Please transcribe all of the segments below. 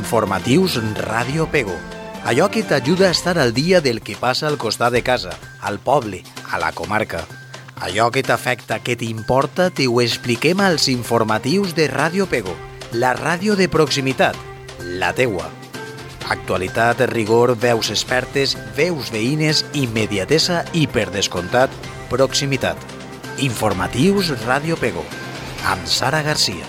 Informatius Ràdio Pego. Allò que t'ajuda a estar al dia del que passa al costat de casa, al poble, a la comarca. Allò que t'afecta, que t'importa, t'ho expliquem als informatius de Ràdio Pego, la ràdio de proximitat, la teua. Actualitat, rigor, veus expertes, veus veïnes, immediatesa i, per descomptat, proximitat. Informatius Ràdio Pego, amb Sara Garcia.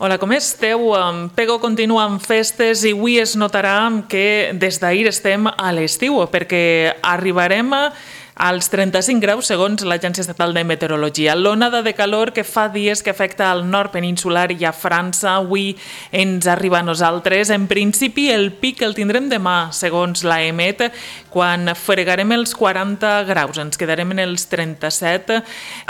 Hola, com esteu? Pego continua amb festes i avui es notarà que des d'ahir estem a l'estiu perquè arribarem als 35 graus segons l'Agència Estatal de Meteorologia. L'onada de calor que fa dies que afecta al nord peninsular i a França avui ens arriba a nosaltres. En principi el pic el tindrem demà segons l'AEMET quan fregarem els 40 graus. Ens quedarem en els 37,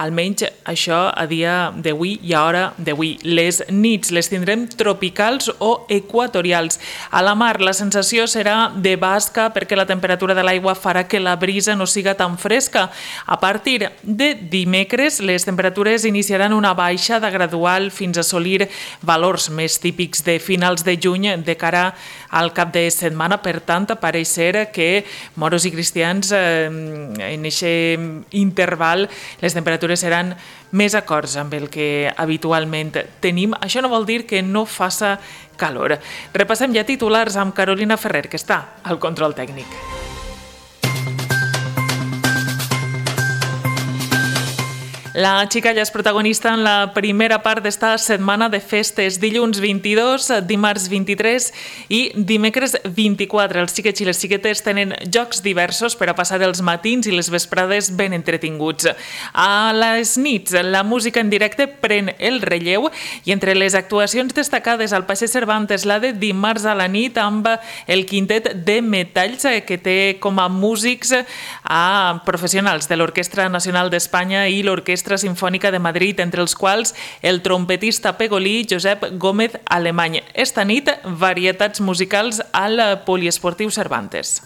almenys això a dia d'avui i a hora d'avui. Les nits les tindrem tropicals o equatorials. A la mar la sensació serà de basca perquè la temperatura de l'aigua farà que la brisa no siga tan fresca. A partir de dimecres, les temperatures iniciaran una baixada gradual fins a assolir valors més típics de finals de juny de cara al cap de setmana. Per tant, pareix ser que moros i cristians en aquest interval les temperatures seran més acords amb el que habitualment tenim. Això no vol dir que no faça calor. Repassem ja titulars amb Carolina Ferrer, que està al control tècnic. La xicalla és protagonista en la primera part d'esta setmana de festes. Dilluns 22, dimarts 23 i dimecres 24. Els xiquets i les xiquetes tenen jocs diversos per a passar els matins i les vesprades ben entretinguts. A les nits, la música en directe pren el relleu i entre les actuacions destacades al Passeig Cervantes, la de dimarts a la nit amb el quintet de metalls que té com a músics a professionals de l'Orquestra Nacional d'Espanya i l'Orquestra Simfònica de Madrid, entre els quals el trompetista pegolí Josep Gómez Alemany. Esta nit, varietats musicals al Poliesportiu Cervantes.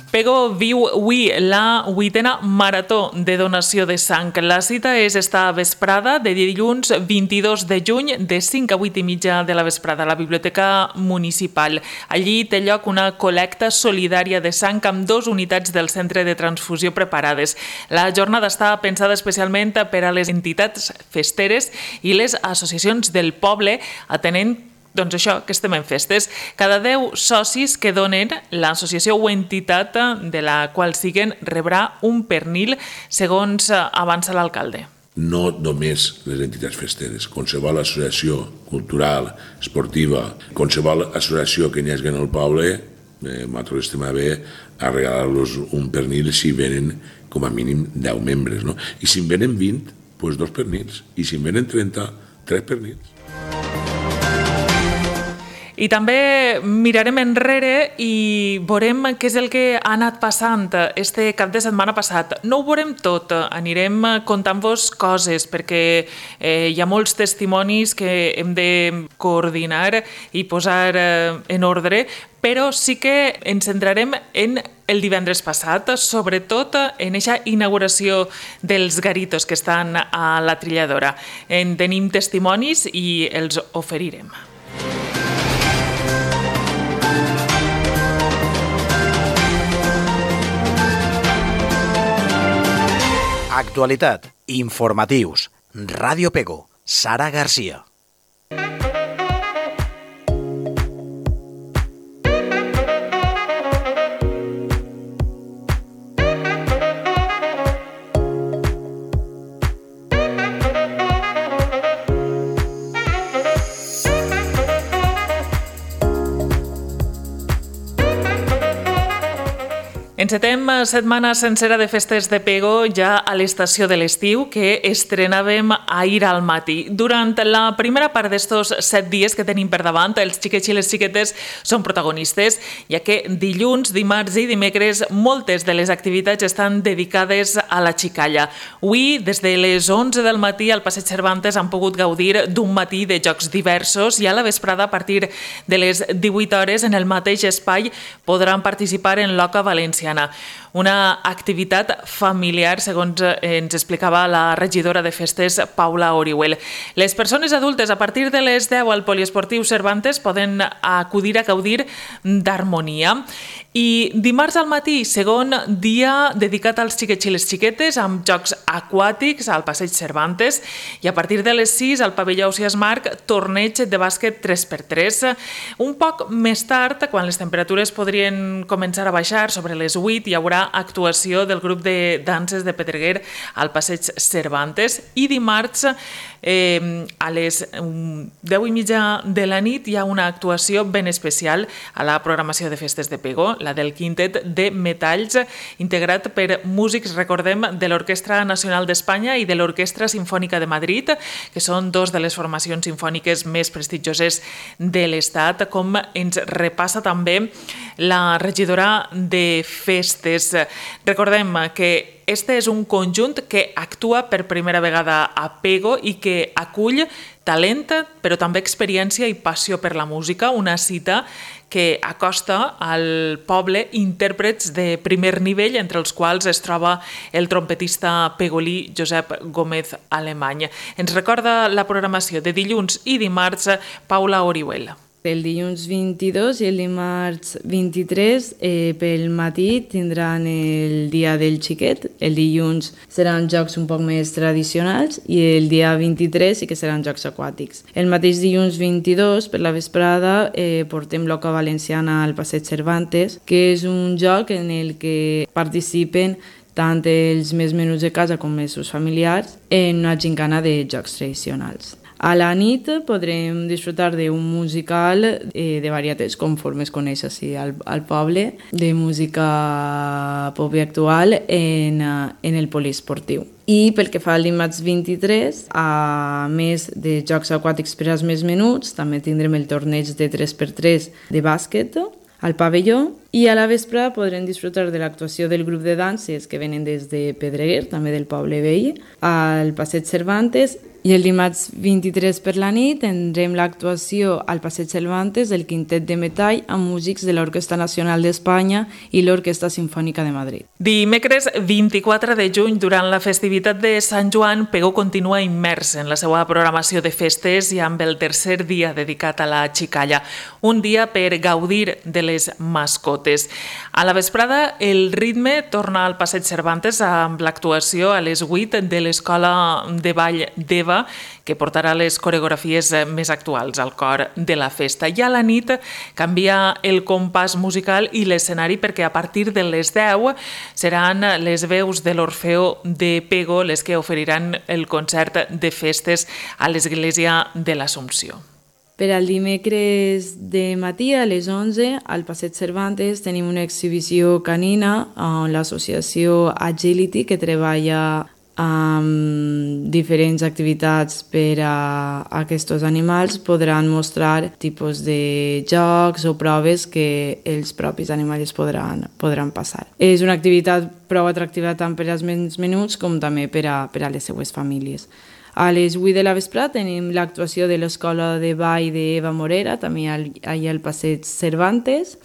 Pego viu avui la 8a marató de donació de sang. La cita és esta vesprada de dilluns 22 de juny de 5 a 8 i mitja de la vesprada a la Biblioteca Municipal. Allí té lloc una col·lecta solidària de sang amb 2 unitats del centre de transfusió preparades. La jornada està pensada especialment per a les entitats festeres i les associacions del poble, atenent doncs això, que estem en festes. Cada 10 socis que donen, l'associació o entitat de la qual siguen rebrà un pernil, segons avança l'alcalde. No només les entitats festeres, qualsevol associació cultural, esportiva, qualsevol associació que n'hi hagi en el poble, nosaltres estem a bé a regalar-los un pernil si venen com a mínim 10 membres. No? I si en venen 20, doncs 2 pernils. I si en venen 30, 3 pernils. I també mirarem enrere i veurem què és el que ha anat passant este cap de setmana passat. No ho veurem tot, anirem contant-vos coses perquè hi ha molts testimonis que hem de coordinar i posar en ordre, però sí que ens centrarem en el divendres passat, sobretot en aquesta inauguració dels garitos que estan a la trilladora. En tenim testimonis i els oferirem. Actualitat, informatius, Ràdio Pego, Sara Garcia. Encetem setmana sencera de festes de Pego ja a l'estació de l'estiu que estrenàvem ahir al matí. Durant la primera part d'estos 7 dies que tenim per davant, els xiquets i les xiquetes són protagonistes, ja que dilluns, dimarts i dimecres moltes de les activitats estan dedicades a la xicalla. Avui, des de les 11 del matí al Passeig Cervantes han pogut gaudir d'un matí de jocs diversos i a la vesprada, a partir de les 18 hores, en el mateix espai podran participar en l'Oca Valenciana. Una activitat familiar, segons ens explicava la regidora de festes, Paula Orihuel. Les persones adultes, a partir de les 10 al Poliesportiu Cervantes, poden acudir a gaudir d'harmonia. I dimarts al matí, segon dia dedicat als xiquets i les xiquetes, amb jocs aquàtics al Passeig Cervantes, i a partir de les 6 al pavelló Ausiàs Marc, torneig de bàsquet 3x3. Un poc més tard, quan les temperatures podrien començar a baixar, sobre les 8 hi haurà actuació del grup de danses de Pedreguer al Passeig Cervantes, i dimarts a les 10:30 de la nit hi ha una actuació ben especial a la programació de festes de Pego, la del Quintet de Metalls, integrat per músics, recordem, de l'Orquestra Nacional d'Espanya i de l'Orquestra Simfònica de Madrid, que són dos de les formacions simfòniques més prestigioses de l'Estat, com ens repassa també la regidora de festes. Recordem que este és un conjunt que actua per primera vegada a Pego i que acull talent, però també experiència i passió per la música, una cita que acosta al poble intèrprets de primer nivell, entre els quals es troba el trompetista pegolí Josep Gómez Alemany. Ens recorda la programació de dilluns i dimarts Paula Orihuel. El dilluns 22 i el dimarts 23 pel matí tindran el dia del xiquet. El dilluns seran jocs un poc més tradicionals i el dia 23 sí que seran jocs aquàtics. El mateix dilluns 22 per la vesprada portem l'Oca Valenciana al Passeig Cervantes, que és un joc en el que participen tant els més menuts de casa com els seus familiars en una gincana de jocs tradicionals. A la nit podrem disfrutar d'un musical de varietats, conforme es coneix així al poble, de música pop i actual en el poliesportiu. I pel que fa al dimarts 23, a més de jocs aquàtics per als més menuts, també tindrem el torneig de 3x3 de bàsquet al pavelló, i a la vespre podrem disfrutar de l'actuació del grup de danses que venen des de Pedreguer, també del poble vell, al Passeig Cervantes. I el dimarts 23 per la nit tindrem l'actuació al Passeig Cervantes del Quintet de Metall amb músics de l'Orquestra Nacional d'Espanya i l'Orquestra Simfònica de Madrid. Dimecres 24 de juny, durant la festivitat de Sant Joan, Pego continua immers en la seva programació de festes i amb el tercer dia dedicat a la xicalla, un dia per gaudir de les mascotes. A la vesprada, el ritme torna al Passeig Cervantes amb l'actuació a les 8 de l'Escola de Ball d'Eva, que portarà les coreografies més actuals al cor de la festa. I a la nit canvia el compàs musical i l'escenari perquè a partir de les 10 seran les veus de l'Orfeó de Pego les que oferiran el concert de festes a l'Església de l'Assumpció. Per al dimecres de matí a les 11 al Passeig Cervantes tenim una exhibició canina on l'associació Agility, que treballa amb diferents activitats per a aquests animals, podran mostrar tipus de jocs o proves que els propis animals podran passar. És una activitat prou atractiva tant per als més menuts com també per a les seues famílies. A les 8 de la vesprada tenim l'actuació de l'Escola de Ball d'Eva Morera, també allà al Passeig Cervantes,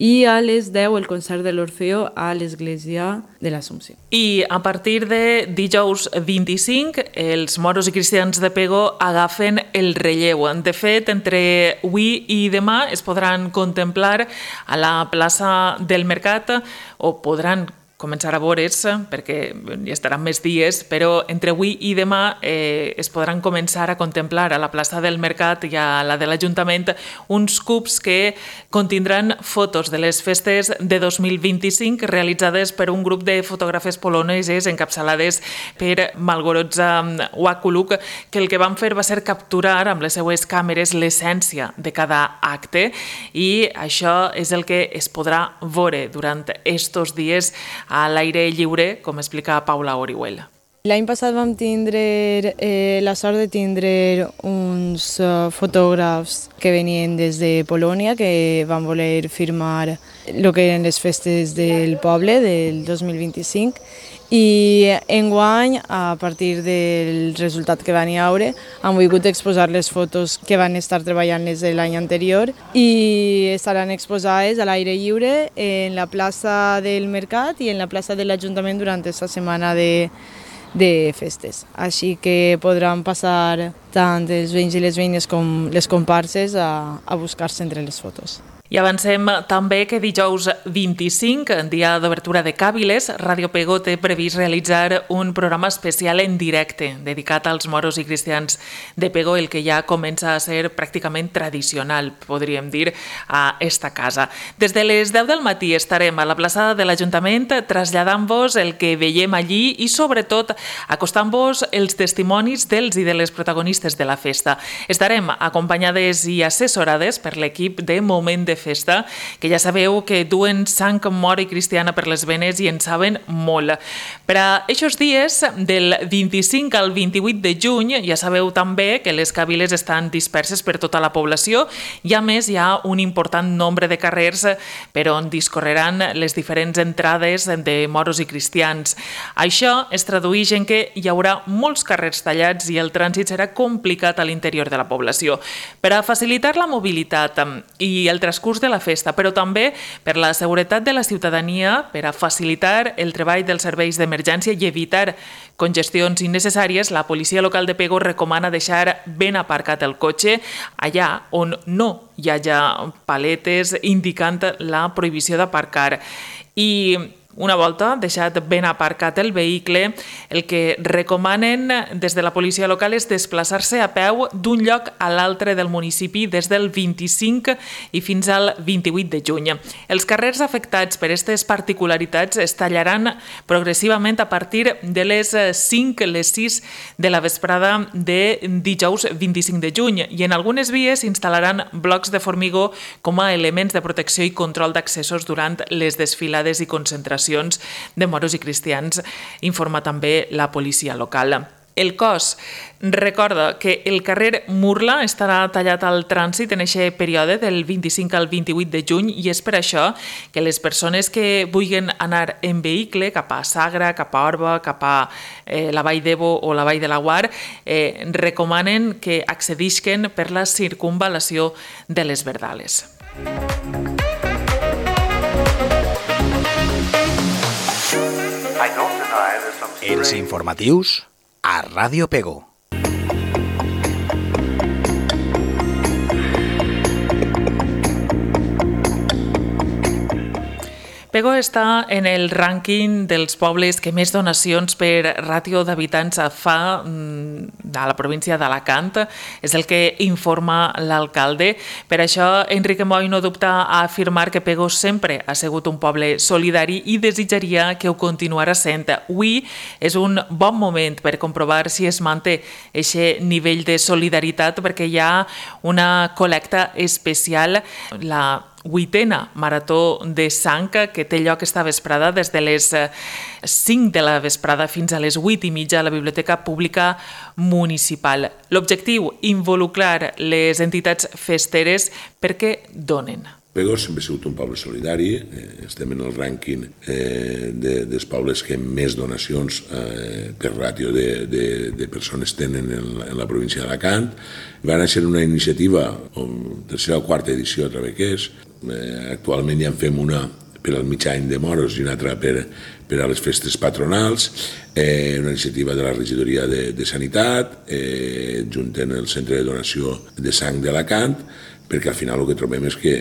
i a les 10 el concert de l'Orfeó a l'Església de l'Assumpció. I a partir de dijous 25, els moros i cristians de Pego agafen el relleu. De fet, entre avui i demà es podran contemplar a la plaça del Mercat o podran començar a veure's, perquè hi estaran més dies, però entre avui i demà es podran començar a contemplar a la plaça del Mercat i a la de l'Ajuntament uns cubs que contindran fotos de les festes de 2025 realitzades per un grup de fotògrafes poloneses encapçalades per Malgorodza Wakuluk, que el que van fer va ser capturar amb les seues càmeres l'essència de cada acte i això és el que es podrà veure durant estos dies a l'aire lliure, com explica Paula Orihuel. L'any passat vam tindre la sort de tindre uns fotògrafs que venien des de Polònia que van voler firmar el que eren les festes del poble del 2025 i enguany, a partir del resultat que van hi haure, han volgut exposar les fotos que van estar treballant des de l'any anterior i estaran exposades a l'aire lliure en la plaça del Mercat i en la plaça de l'Ajuntament durant aquesta setmana de festes. Així que podran passar tant els veïns i les veïnes com les comparses a buscar-se entre les fotos. I avancem també que dijous 25, dia d'obertura de Càbiles, Ràdio Pego té previst realitzar un programa especial en directe dedicat als moros i cristians de Pego, el que ja comença a ser pràcticament tradicional, podríem dir, a esta casa. Des de les 10 del matí estarem a la plaça de l'Ajuntament traslladant-vos el que veiem allí i, sobretot, acostant-vos els testimonis dels i de les protagonistes de la festa. Estarem acompanyades i assessorades per l'equip de Moment de Festa, que ja sabeu que duen sang mora i cristiana per les venes i en saben molt. Per a aquests dies, del 25 al 28 de juny, ja sabeu també que les càbiles estan disperses per tota la població i, a més, hi ha un important nombre de carrers per on discorreran les diferents entrades de moros i cristians. Això es tradueix en que hi haurà molts carrers tallats i el trànsit serà complicat a l'interior de la població. Per a facilitar la mobilitat i el transcurs de la festa, però també per la seguretat de la ciutadania, per a facilitar el treball dels serveis d'emergència i evitar congestions innecessàries, la policia local de Pego recomana deixar ben aparcat el cotxe allà on no hi hagi paletes indicant la prohibició d'aparcar. I una volta deixat ben aparcat el vehicle, el que recomanen des de la policia local és desplaçar-se a peu d'un lloc a l'altre del municipi des del 25 i fins al 28 de juny. Els carrers afectats per aquestes particularitats es tallaran progressivament a partir de les 5, les 6 de la vesprada de dijous 25 de juny i en algunes vies s'instal·laran blocs de formigó com a elements de protecció i control d'accessos durant les desfilades i concentracions de moros i cristians, informa també la policia local. El cos recorda que el carrer Murla estarà tallat al trànsit en aquest període del 25 al 28 de juny i és per això que les persones que vulguin anar en vehicle cap a Sagra, cap a Orba, cap a la Vall d'Ebo o la Vall de Laguar, recomanen que accedisquen per la circunvalació de les Verdales. Els informatius a Ràdio Pego. Pego està en el rànquing dels pobles que més donacions per ràtio d'habitants fa a la província d'Alacant. És el que informa l'alcalde. Per això, Enrique Moy no dubta a afirmar que Pego sempre ha sigut un poble solidari i desitjaria que ho continuarà sent. Avui és un bon moment per comprovar si es manté aquest nivell de solidaritat perquè hi ha una col·lecta especial, la 8a Marató de Sang, que té lloc esta vesprada des de les 5 de la vesprada fins a les 8:30 a la Biblioteca Pública Municipal. L'objectiu, involucrar les entitats festeres perquè donen. Pego sempre ha sigut un poble solidari, estem en el rànquing dels pobles que més donacions per ràtio de persones tenen en la província d'Alacant. Va néixer una iniciativa, tercera o quarta edició, a través que és. Actualment ja en fem una per al mig any de moros i una altra per a les festes patronals, una iniciativa de la regidoria de Sanitat, juntant el centre de donació de sang d'Alacant, perquè al final el que trobem és que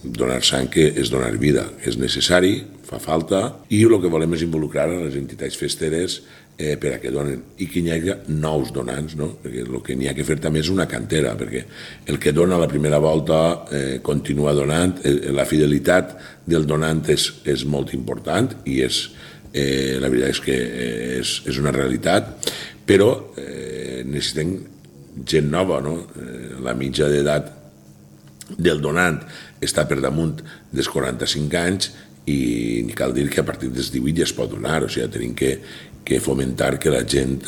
donar sang és donar vida, és necessari, fa falta, i el que volem és involucrar a les entitats festeres per a que donen, i que hi hagi nous donants, no? Perquè el que n'hi ha que fer també és una cantera, perquè el que dona la primera volta continua donant, la fidelitat del donant és molt important i la veritat és que és una realitat, però necessitem gent nova, no? La mitja d'edat del donant està per damunt dels 45 anys i cal dir que a partir dels 18 ja es pot donar, o sigui, tenim que fomentar que la gent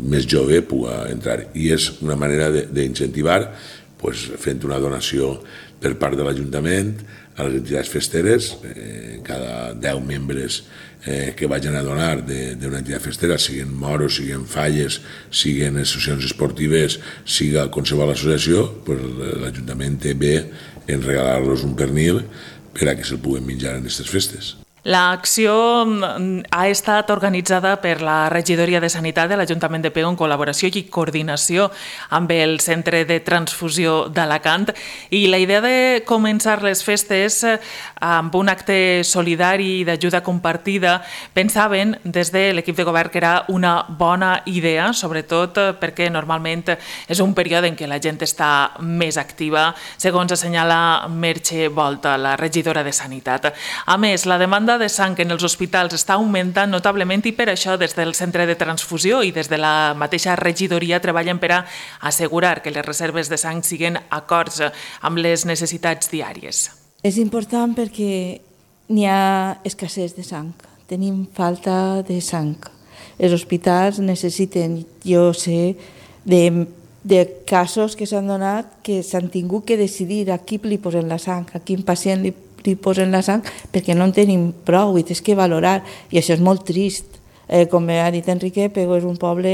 més jove pugui entrar. I és una manera d'incentivar fent una donació per part de l'Ajuntament a les entitats festeres, cada 10 membres que vagin a donar d'una entitat festera, siguin moros, siguin falles, siguin associacions esportives, siga qualsevol associació, l'Ajuntament té bé en regalar-los un pernil per a que se'l puguen menjar en aquestes festes. L'acció ha estat organitzada per la Regidoria de Sanitat de l'Ajuntament de Pego en col·laboració i coordinació amb el Centre de Transfusió d'Alacant, i la idea de començar les festes amb un acte solidari i d'ajuda compartida pensaven des de l'equip de govern que era una bona idea, sobretot perquè normalment és un període en què la gent està més activa, segons assenyala Merche Volta, la regidora de Sanitat. A més, la demanda de sang en els hospitals està augmentant notablement i per això des del Centre de Transfusió i des de la mateixa regidoria treballen per a assegurar que les reserves de sang siguin acords amb les necessitats diàries. És important perquè n'hi ha escassez de sang, tenim falta de sang. Els hospitals necessiten, jo sé, de casos que s'han donat que s'han tingut que decidir a qui li posen la sang, a quin pacient li posen la sang, perquè no en tenim prou i tens que valorar, i això és molt trist. Com ha dit Enrique, Pego és un poble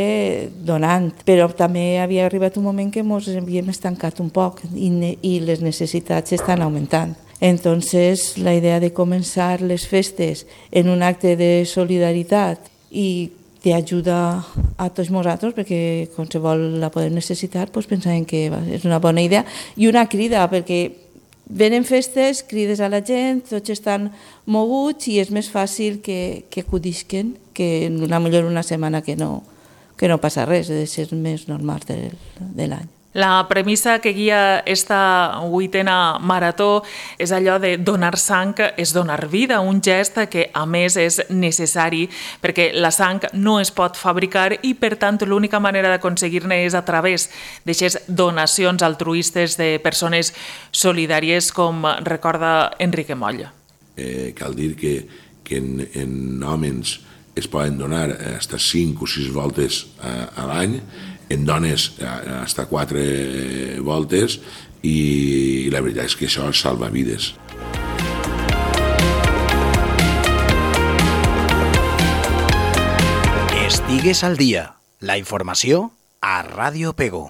donant, però també havia arribat un moment que ens havíem estancat un poc i les necessitats estan augmentant. Entonces, la idea de començar les festes en un acte de solidaritat i d'ajuda a tots nosaltres, perquè qualsevol la podem necessitar, pensàvem que és una bona idea i una crida, perquè venen festes, crides a la gent, tots estan moguts i és més fàcil que acudisquen que millor una setmana que no passa res, és ser més normal de l'any. La premissa que guia esta 8a marató és allò de donar sang és donar vida, un gest que a més és necessari perquè la sang no es pot fabricar i per tant l'única manera d'aconseguir-ne és a través d'aquestes donacions altruistes de persones solidàries, com recorda Enrique Moll. Cal dir que en homes es poden donar fins a 5 o 6 voltes a l'any, en dones fins a 4 voltes, i la veritat és que això salva vides. Estigues al dia. La informació a Ràdio Pego.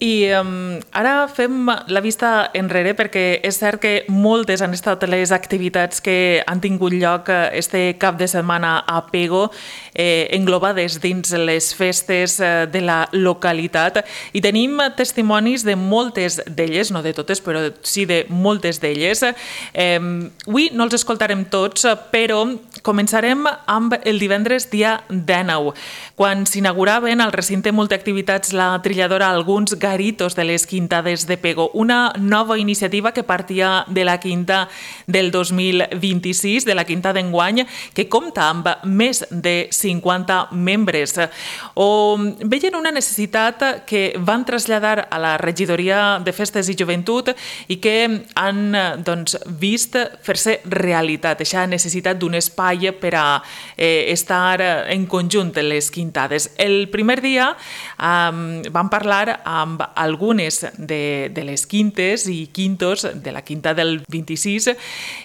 I ara fem la vista enrere perquè és cert que moltes han estat les activitats que han tingut lloc este cap de setmana a Pego, englobades dins les festes de la localitat, i tenim testimonis de moltes d'elles, no de totes, però sí de moltes d'elles. Avui no els escoltarem tots, però començarem amb el divendres dia 19, quan s'inauguraven al recinte multiactivitats La Trilladora alguns garitos de les Quintades de Pego, una nova iniciativa que partia de la Quinta del 2026, de la Quinta d'enguany, que compta amb més de 50 membres. O veien una necessitat que van traslladar a la Regidoria de Festes i Joventut i que han vist fer-se realitat, aquesta necessitat d'un espai per a estar en conjunt en les Quintades. El primer dia vam parlar amb algunes de les quintes i quintos de la quinta del 26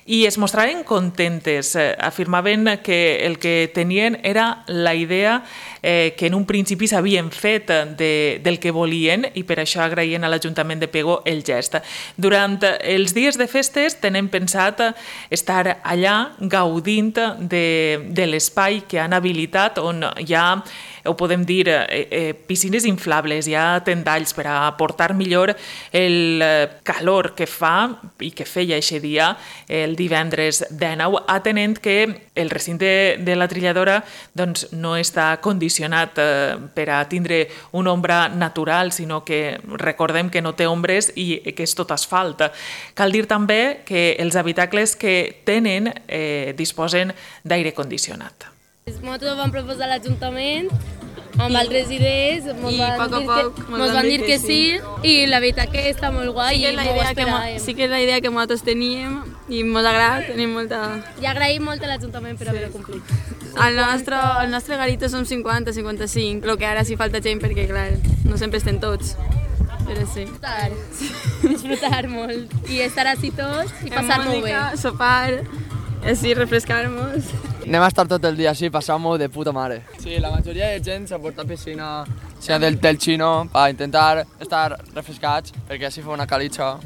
i es mostraven contentes. Afirmaven que el que tenien era la idea que en un principi s'havien fet del que volien i per això agraïen a l'Ajuntament de Pego el gest. Durant els dies de festes tenen pensat estar allà gaudint de l'espai que han habilitat on hi ha, ho podem dir, piscines inflables, hi ha tendalls per a aportar millor el calor que fa i que feia aquest dia, el divendres 19, atenent que el recinte de la trilladora doncs, no està condicionat per a tindre una ombra natural, sinó que recordem que no té ombres i que és tot asfalt. Cal dir també que els habitacles que tenen disposen d'aire condicionat. Nosaltres ho vam proposar a l'Ajuntament amb altres idees, ens van dir que sí i la veritat que està molt guai i molt ho esperàvem. Sí que és la idea que nosaltres teníem i ens agrada, tenim molta... I agraïm molt a l'Ajuntament per haver-ho complit. El nostre garito som 50, 55, el que ara sí falta gent perquè, clar, no sempre estem tots. Però sí. Disfrutar molt i estar així tots i passar-m'ho bé. Sopar, així refrescar-nos. Anem a estar tot el dia així, passar-m'ho de puta mare. Sí, la majoria de gent s'ha portat piscina del xino per intentar estar refrescats, perquè així fa una calitxa.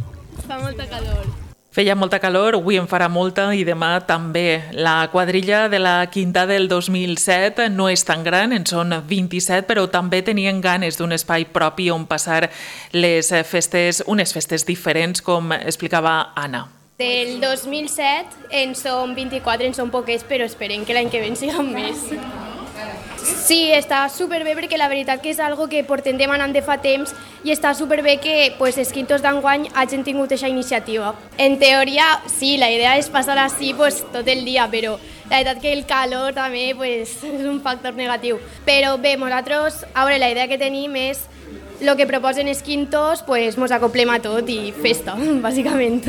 Fa molta calor. Feia molta calor, avui en farà molta i demà també. La quadrilla de la quinta del 2007 no és tan gran, en són 27, però també tenien ganes d'un espai propi on passar les festes, unes festes diferents, com explicava Anna. Del 2007 en som 24, en som poquets, però esperem que l'any que ve en siguem més. Sí, està superbé perquè la veritat que és algo que portem demanant de fa temps i està superbé que els quintos d'enguany hagin tingut aquesta iniciativa. En teoria, sí, la idea és passar així tot el dia, però la veritat que el calor també és un factor negatiu. Però bé, nosaltres, la idea que tenim és el que proposen els quintos, mos acoplem a tot i festa, bàsicament.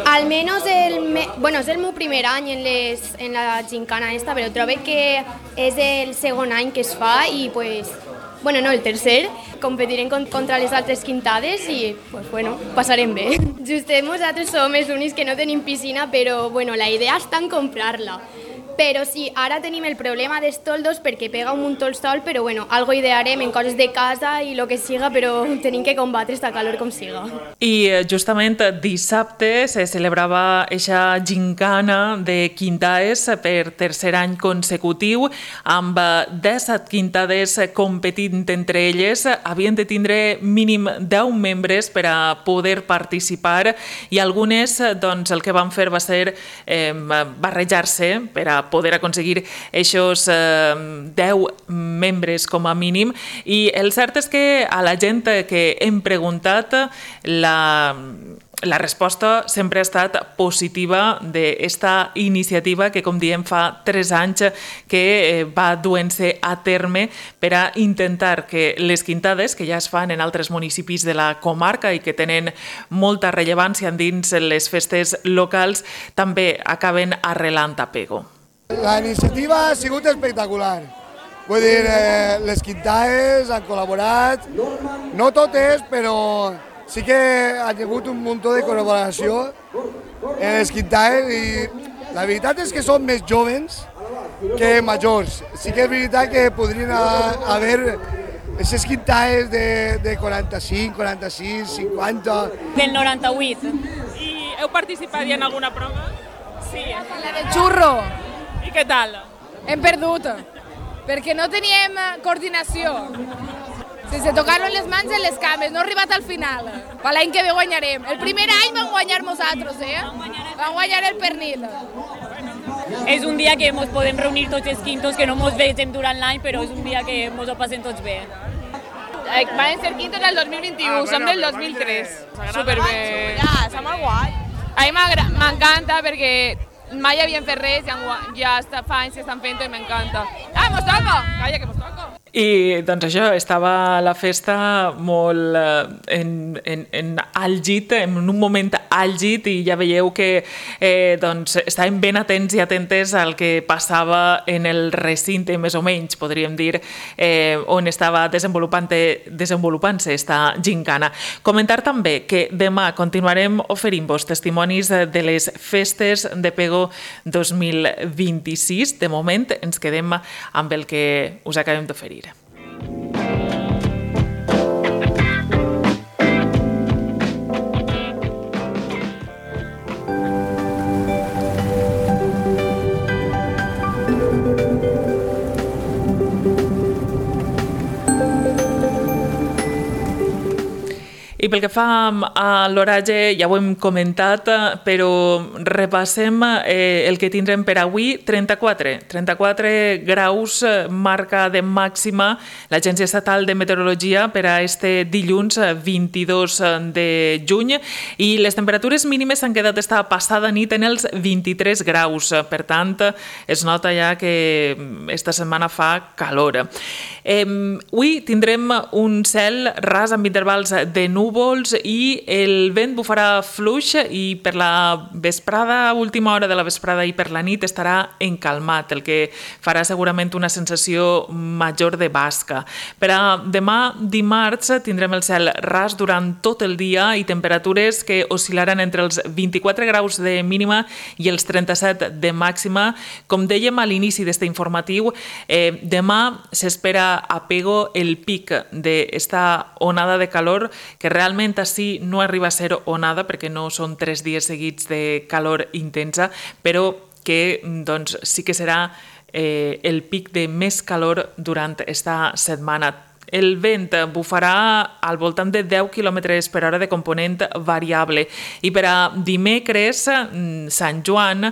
Almenys és el meu primer any en la gincana esta, però trobo que és el segon any que es fa i el tercer. Competirem contra les altres quintades i passarem bé. Justet nosaltres som els únics que no tenim piscina, però la idea està en comprar-la. Però sí, ara tenim el problema dels toldos perquè pega un munt el sol, però algo idearem en coses de casa i el que siga, però tenim que combatre esta calor com siga. I justament dissabte se celebrava aquesta gincana de quintades per tercer any consecutiu, amb 17 quintades competint entre elles. Havien de tindre mínim 10 membres per a poder participar i algunes el que van fer va ser barrejar-se per a poder aconseguir aquests 10 membres com a mínim i el cert és que a la gent que hem preguntat la resposta sempre ha estat positiva d'esta iniciativa que, com diem, fa 3 anys que va duent-se a terme per a intentar que les quintades, que ja es fan en altres municipis de la comarca i que tenen molta rellevància dins les festes locals, també acaben arrelant a Pego. La iniciativa ha sigut espectacular. Vull dir, les quintades han col·laborat, no totes, però sí que ha hagut un munt de col·laboració en les quintades i la veritat és que són més joves que majors. Sí que és veritat que podrien haver aquestes quintades de 45, 46, 50... Del 98. I heu participat ja en alguna prova? Sí. La del xurro. I què tal? Hem perdut, perquè no teníem coordinació. Sense tocar-lo en les mans i en les cames, no ha arribat al final. Per l'any que ve guanyarem. El primer any vam guanyar nosaltres, Vam guanyar el pernil. És un dia que ens podem reunir tots els quintos, que no ens vegem durant l'any, però és un dia que ens ho passem tots bé. Van ser quintos el 2021, som del 2003. Superbé. Està molt guai. A mi m'encanta perquè mai havien fet res i ja fa anys que estan fent-ho i m'encanta. Mos toca! Calla, que mos toca! I doncs això, estava la festa molt en àlgid, en un moment àlgid, i ja veieu que doncs, estàvem ben atents i atentes al que passava en el recinte, més o menys, podríem dir, on estava desenvolupant-se esta gincana. Comentar també que demà continuarem oferint-vos testimonis de les festes de Pego 2026. De moment ens quedem amb el que us acabem d'oferir. I pel que fa a l'oratge, ja ho hem comentat, però repassem el que tindrem per avui. 34 graus marca de màxima l'Agència Estatal de Meteorologia per a este dilluns 22 de juny, i les temperatures mínimes s'han quedat esta passada nit en els 23 graus. Per tant, es nota ja que esta setmana fa calor. Avui tindrem un cel ras amb intervals de núvols i el vent bufarà fluix, i per la vesprada, última hora de la vesprada i per la nit estarà encalmat, el que farà segurament una sensació major de basca. Per a demà dimarts tindrem el cel ras durant tot el dia i temperatures que oscil·laran entre els 24 graus de mínima i els 37 de màxima. Com dèiem a l'inici d'este informatiu, demà s'espera a Pego el pic d'esta onada de calor, que realment així no arriba a ser onada perquè no són 3 dies seguits de calor intensa, però que doncs, sí que serà el pic de més calor durant esta setmana. El vent bufarà al voltant de 10 km per hora de component variable, i per a dimecres, Sant Joan,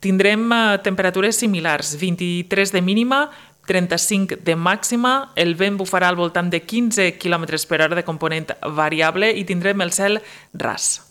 tindrem temperatures similars, 23 de mínima, 35 de màxima, el vent bufarà al voltant de 15 km per hora de component variable i tindrem el cel ras.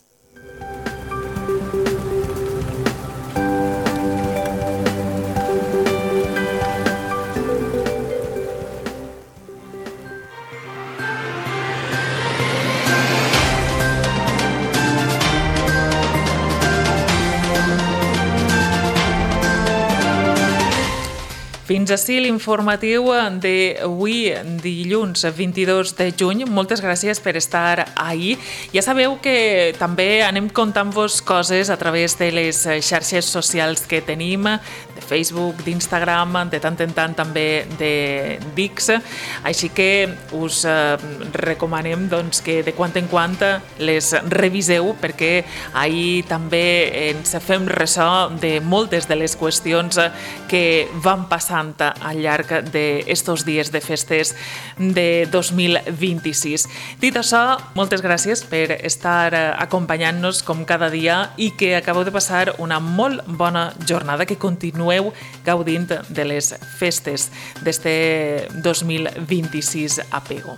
Fins ací l'informatiu d'avui, dilluns 22 de juny. Moltes gràcies per estar ahí. Ja sabeu que també anem contant-vos coses a través de les xarxes socials que tenim, de Facebook, d'Instagram, de tant en tant també de Dix. Així que us recomanem que de quan en quan les reviseu, perquè ahí també ens fem ressò de moltes de les qüestions que van passar al llarg d'estos dies de festes de 2026. Dit això, moltes gràcies per estar acompanyant-nos com cada dia i que acabeu de passar una molt bona jornada, que continueu gaudint de les festes d'este 2026 a Pego.